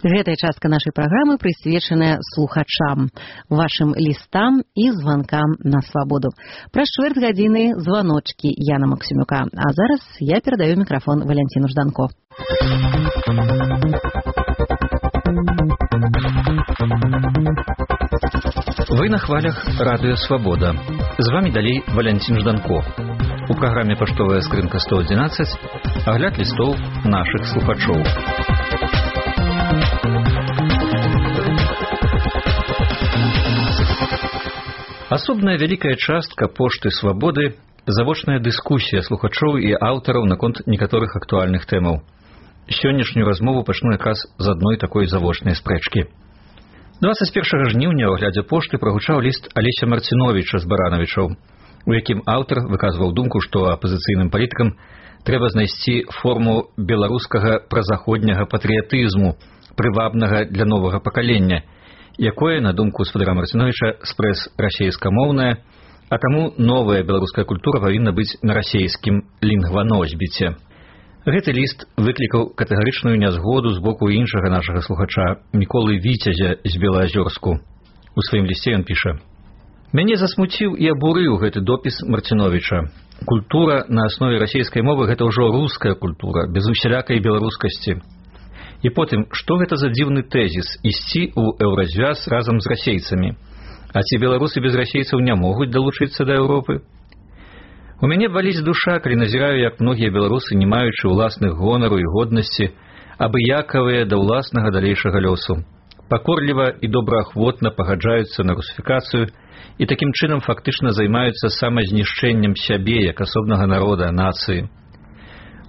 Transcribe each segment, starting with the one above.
Гэтая частка нашай праграмы прысвечаная слухачам, вашым лістам і званкам на свабоду. Праз чвэрць гадзіны званочкі Яна Максімюка. А зараз я перадаю мікрафон Валянціну Жданко. Вы на хвалях радыё «Свабода». З вами далей Валянцін Жданко. У праграме «Паштовая скрынка 111» агляд лістоў нашых слухачоў. Асобная вялікая частка пошты «Свабоды» – завочная дыскусія слухачоў і аўтараў наконт некаторых актуальных тэмаў. Сённяшнюю размову пачну якраз з адной такой завочнай спрэчкі. 21 жніўня ў аглядзе пошты прагучаў ліст Алеся Марціновіча з Баранавічаў, у якім аўтар выказваў думку, што апазіцыйным палітыкам трэба знайсці форму беларускага празаходняга патрыятызму, прывабнага для новага пакалення, якое, на думку гаспадара Марціновіча, спрэс расейскамоўная, а таму новая беларуская культура павінна быць на расейскім лінгваносьбіце. Гэты ліст выклікаў катэгарычную нязгоду з боку іншага нашага слухача, Міколы Віцязя з Белаазёрску. У сваім лісце ён піша: «Мяне засмуціў і абурыў гэты допіс Марціновіча. Культура на аснове расейскай мовы – гэта ўжо руская культура, без усялякай беларускасці. І потым, што гэта за дзіўны тэзіс – ісці ў еўразвяз разам з расейцамі? А ці беларусы без расейцаў не могуць далучыцца да Еўропы? У мяне баліць душа, калі назіраю, як многія беларусы, не маючы ўласных гонару і годнасці, абыякавыя да ўласнага далейшага лёсу, пакорліва і добраахвотна пагаджаюцца на русіфікацыю і такім чынам фактычна займаюцца самазнішчэннем сябе як асобнага народа, нацыі.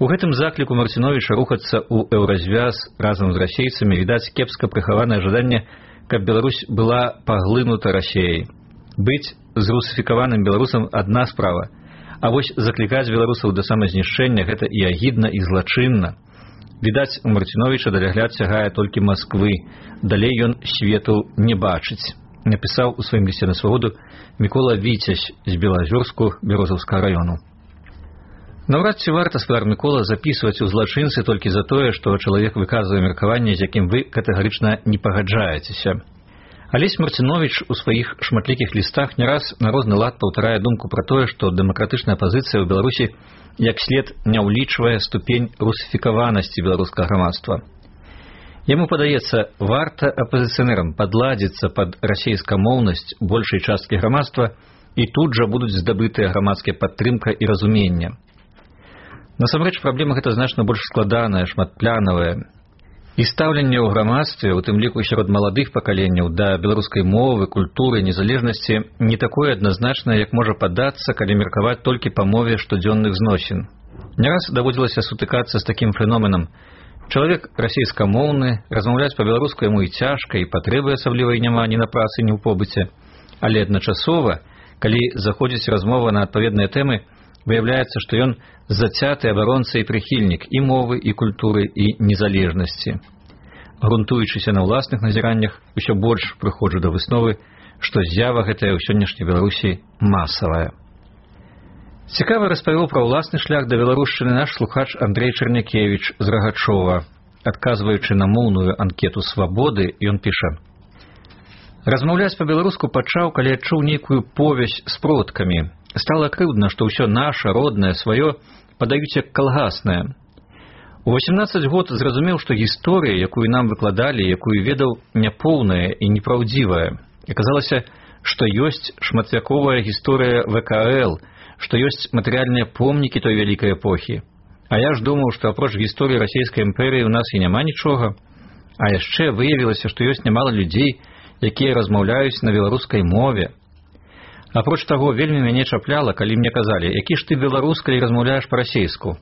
У гэтым закліку Марціновіча рухацца ў еўразвяз разам з расейцамі відаць кепска прыхаванае жаданне, каб Беларусь была паглынута Расеяй. Быць зрусіфікаваным беларусам адна справа, а вось заклікаць беларусаў да самазнішчэння – гэта і агідна, і злачынна. Відаць, у Марціновіча далягляд сягае толькі Масквы, далей ён свету не бачыць, напісаў у сваім лісце на свабоду Мікола Віцязь з Белаазёрску Бярозаўскага раёну. Наўрад ці варта, гаспадар Мікола, запісваць у злачынцы толькі за тое, што чалавек выказвае меркаванне, з якім вы катэгарычна не пагаджаецеся. Алесь Марціновіч у сваіх шматлікіх лістах не раз на розны лад паўтарае думку пра тое, што дэмакратычная пазіцыя ў Беларусі як след не ўлічвае ступень русіфікаванасці беларускага грамадства. Яму падаецца, варта апазіцыянерам падладзіцца пад расейскамоўнасць большай часткі грамадства, і тут жа будуць здабытыя грамадская падтрымка і разуменне. Насамрэч, праблема гэта значна больш складаная, шматплянавая. І стаўленне ў грамадстве, у тым ліку сярод маладых пакаленняў, да беларускай мовы, культуры, незалежнасці не такое адназначнае, як можа падацца, калі меркаваць толькі па мове штодзённых зносін. Не раз даводзілася сутыкацца з такім феноменам. Чалавек расейскамоўны, размаўляць па-беларуску яму і цяжка, і патрэбы асаблівай няма ні на працы, ні ў побыце. Але адначасова, калі заходзіць размова на адпаведныя тэмы, выяўляецца, што ён зацяты абаронца і прыхільнік і мовы, і культуры, і незалежнасці. Грунтуючыся на ўласных назіраннях, усё больш прыходжу да высновы, што з'ява гэтая ў сённяшняй Беларусі масавая. Цікава распавёў пра ўласны шлях да беларушчыны наш слухач Андрэй Чарнякевіч з Рагачова. Адказваючы на моўную анкету «Свабоды», ён піша: «Размаўляць па-беларуску пачаў, калі адчуў нейкую повязь з продкамі. Стала крыўдна, што ўсё наша, роднае, сваё падаюць як калгаснае. У 18 год зразумеў, што гісторыя, якую нам выкладалі, якую ведаў, няпоўная і непраўдзівая. Аказалася, што ёсць шматвяковая гісторыя ВКЛ, што ёсць матэрыяльныя помнікі той вялікай эпохі. А я ж думаў, што апроч гісторыі расійскай імперыі ў нас і няма нічога. А яшчэ выявілася, што ёсць нямала людзей, якія размаўляюць на беларускай мове. Апроч таго, вельмі мяне чапляла, калі мне казалі, які ж ты беларус, калі размаўляеш па-расейску.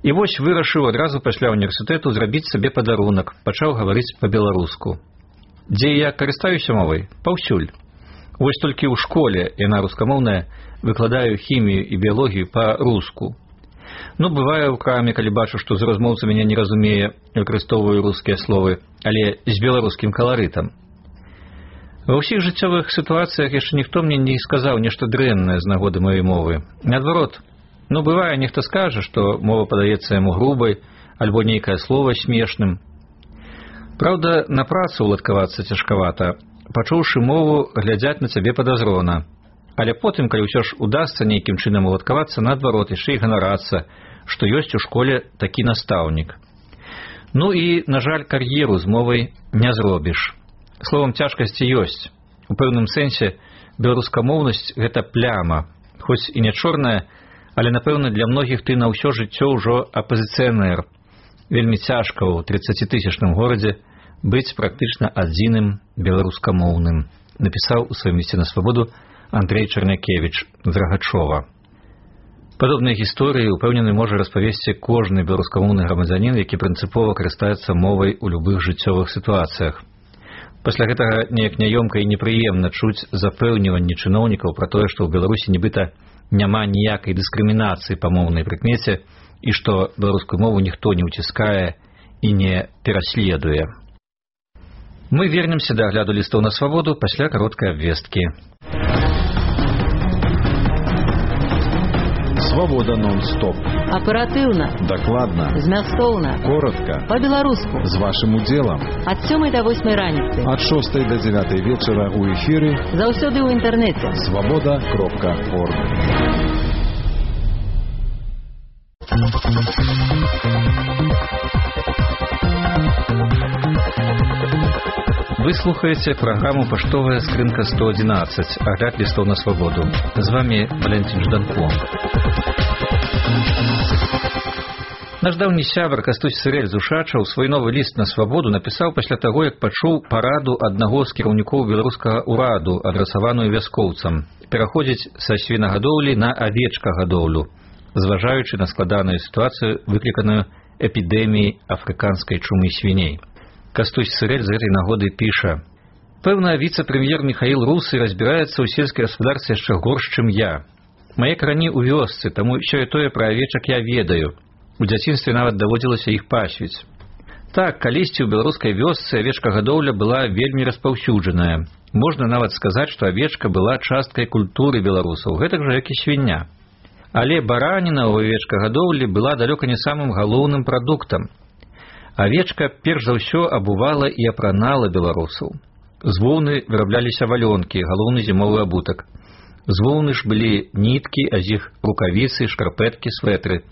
І вось вырашыў адразу пасля універсітэту зрабіць сабе падарунак, пачаў гаварыць па-беларуску. Дзе я карыстаюся мовай? Паўсюль. Вось толькі ў школе, яна рускамоўная, выкладаю хімію і біялогію па-руску. Ну, бывае ў краме, калі бачу, што з размоўца мяне не разумее, выкарыстоўваю рускія словы, але з беларускім каларытам. Ва ўсіх жыццёвых сітуацыях яшчэ ніхто мне не сказаў нешта дрэннае з нагоды маёй мовы. Наадварот, ну, бывае, нехта скажа, што мова падаецца яму грубай, альбо нейкае слова смешным. Праўда, на працу ўладкавацца цяжкавата. Пачуўшы мову, глядзяць на цябе падазрона. Але потым, калі ўсё ж удасца нейкім чынам уладкавацца, наадварот, яшчэ і ганарацца, што ёсць у школе такі настаўнік. Ну і, на жаль, кар'еру з мовай не зробіш. Словам, цяжкасці ёсць. У пэўным сэнсе беларускамоўнасць – гэта пляма. Хоць і не чорная, але, напэўна, для многіх ты на ўсё жыццё ўжо апазіцыянер. Вельмі цяжка ў 30-тысячным горадзе быць практычна адзіным беларускамоўным, напісаў у сваім лісце на свабоду Андрей Чарнякевіч з Рагачова. Падобныя гісторыі, упэўнены, можа распавесці кожны беларускамоўны грамадзянін, які прынцыпова карыстаецца мовай у любых жыццёвых сітуацыях. Пасля гэтага неяк няёмка і непрыемна чуць запэўніванні чыноўнікаў пра тое, што ў Беларусі нібыта няма ніякай дыскрымінацыі па моўнай прыкмеце і што беларускую мову ніхто не ўціскае і не пераследуе. Мы вернемся да агляду лістоў на свабоду пасля кароткай абвесткі. Свобода нон-стоп. Аперативно. Докладно. Змястоўна. Коротко. По-беларуску. З вашим удзелам. Ад 7 до 8 раніцы. Ад 6 до 9 вечера у эфіры. Заўсёды ў інтэрнэце. Свобода.орг. Вы слухаете программу «Поштовая скрынка 111», агляд листов на свободу. С вами Валентин Жданко. Наш даўні сябар Кастусь Сырэль з Ушачаў свой новы ліст на свабоду напісаў пасля таго, як пачуў параду аднаго з кіраўнікоў беларускага ўраду, адрасаваную вяскоўцам, пераходзіць са свінагадоўлі на авечкагадоўлю, зважаючы на складаную сітуацыю, выкліканую эпідэміяй афрыканскай чумы свіней. Кастусь Сырэль з гэтай нагоды піша: «Пэўна, віцэ-прэм'ер Михаил Русы разбіраецца ў сельскай гаспадарцы яшчэ горш, чым я. Мае карані ў вёсцы, таму сёе-тое пра авечак я ведаю. У дзяцінстве нават даводзілася іх пасвіць. Так, калісьці ў беларускай вёсцы авечкагадоўля была вельмі распаўсюджаная. Можна нават сказаць, што авечка была часткай культуры беларусаў, гэтак жа, як і свіння. Але бараніна ў авечкагадоўлі была далёка не самым галоўным прадуктам. Авечка перш за ўсё абувала і апранала беларусаў. З воўны вырабляліся валёнкі, галоўны зімовы абутак. З воўны ж былі ніткі, а з іх рукавіцы, шкарпэткі, светры.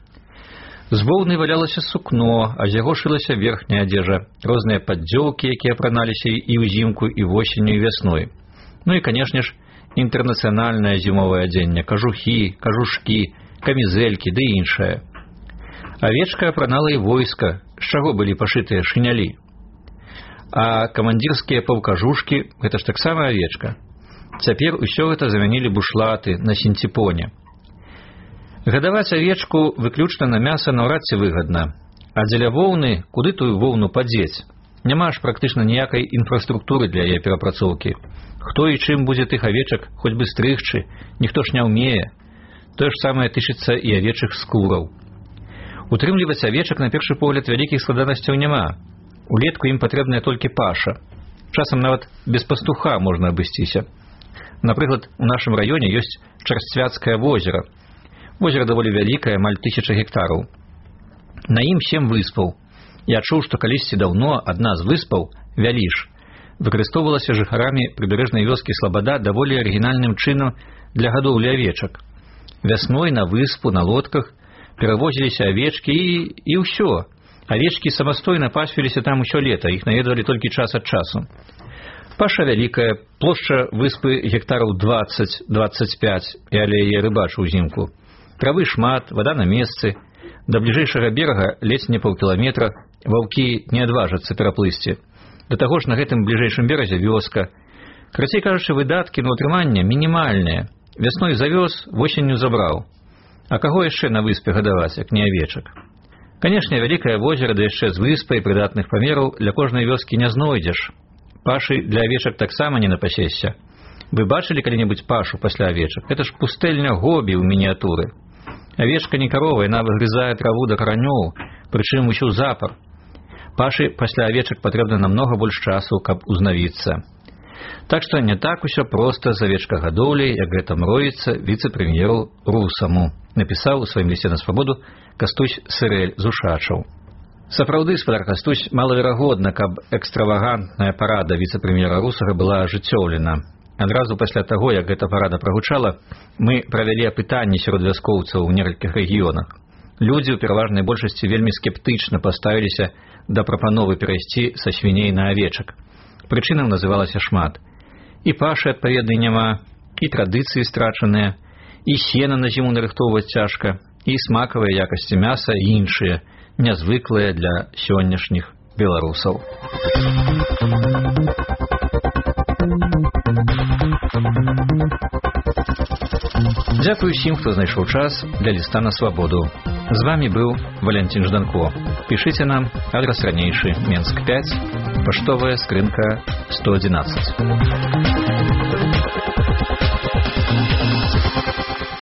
З воўны валялася сукно, а з яго шылася верхняя адзежа, розныя паддзёўкі, якія апраналіся і ўзімку, і восенню, і вясной. Ну і, канешне ж, інтэрнацыянальнае зімовае адзенне, кажухі, кажушкі, камізэлькі ды іншае. Авечка апранала і войска, з чаго былі пашытыя шынялі. А камандзірскія паўкажушкі – гэта ж таксама авечка. Цяпер усё гэта замянілі бушлаты на сінціпоне. Гадаваць авечку выключна на мяса наўрад ці выгадна. А дзеля воўны, куды тую воўну падзець? Няма ж практычна ніякай інфраструктуры для яе перапрацоўкі. Хто і чым будзе тых авечак, хоць бы стрыгчы, ніхто ж не ўмее. Тое ж самае тычыцца і авечых скураў. Утрымліваць авечак, на першы погляд, вялікіх складанасцяў няма. Улетку ім патрэбная толькі паша. Часам нават без пастуха можна абысціся. Напрыклад, у нашым раёне ёсць Чарсцвяцкае возера. Возера даволі вялікае, амаль 1000 гектараў. На ім 7 выспаў. Я чуў, што калісьці даўно адна з выспаў, Вяліш, выкарыстоўвалася жыхарамі прыбярэжнай вёскі Слабада даволі арыгінальным чынам для гадоўлі авечак. Вясной на выспу, на лодках перавозіліся авечкі і ўсё. Авечкі самастойна пасвіліся там усё лета, іх наведвалі толькі час ад часу. Паша вялікая, плошча выспы гектараў 20-25, і але яе рыбачу ўзімку. Травы шмат, вада на месцы. Да бліжэйшага берага ледзь не паўкіламетра, ваўкі не адважацца пераплысці. Да таго ж на гэтым бліжэйшым беразе вёска. Карацей кажучы, выдаткі на ўтрыманне мінімальныя. Вясной завёз, восенню забраў. А каго яшчэ на выспе гадаваць, як не авечак? Канешне, вялікае возера, да яшчэ з выспай прыдатных памераў для кожнай вёскі не знойдзеш. Пашы для авечак таксама не напасешся. Вы бачылі калі-небудзь пашу пасля авечак? Гэта ж пустэльня Гобі ў мініятуры. Авечка не карова, яна выгрызае траву да каранёў, прычым усю запар. Пашы пасля авечак патрэбна намнога больш часу, каб узнавіцца. Так што не так усё проста з авечкагадоўляй, як гэта мроіцца віцэ-прэм'еру Русаму, напісаў у сваім лісце на свабоду Кастусь Сырэль з Ушачаў. Сапраўды, спадар Кастусь, малаверагодна, каб экстравагантная парада віцэ-прэм'ера Русага была ажыццёўлена. Адразу пасля таго, як гэта парада прагучала, мы правялі апытанні сярод вяскоўцаў у некалькіх рэгіёнах. Людзі ў пераважнай большасці вельмі скептычна паставіліся да прапановы перайсці са свіней на авечак. Прычынаў называлася шмат. І пашы адпаведнай няма, і традыцыі страчаныя, і сена на зіму нарыхтоўваць цяжка, і смакавыя якасці мяса і іншыя, нязвыклыя для сённяшніх беларусаў. Дзякую усім, хто знайшоў час для ліста на свабоду. З вами быў Валентин Жданко. Пішыце нам, адрес ранейшы, Менск 5, паштовая скрынка 111.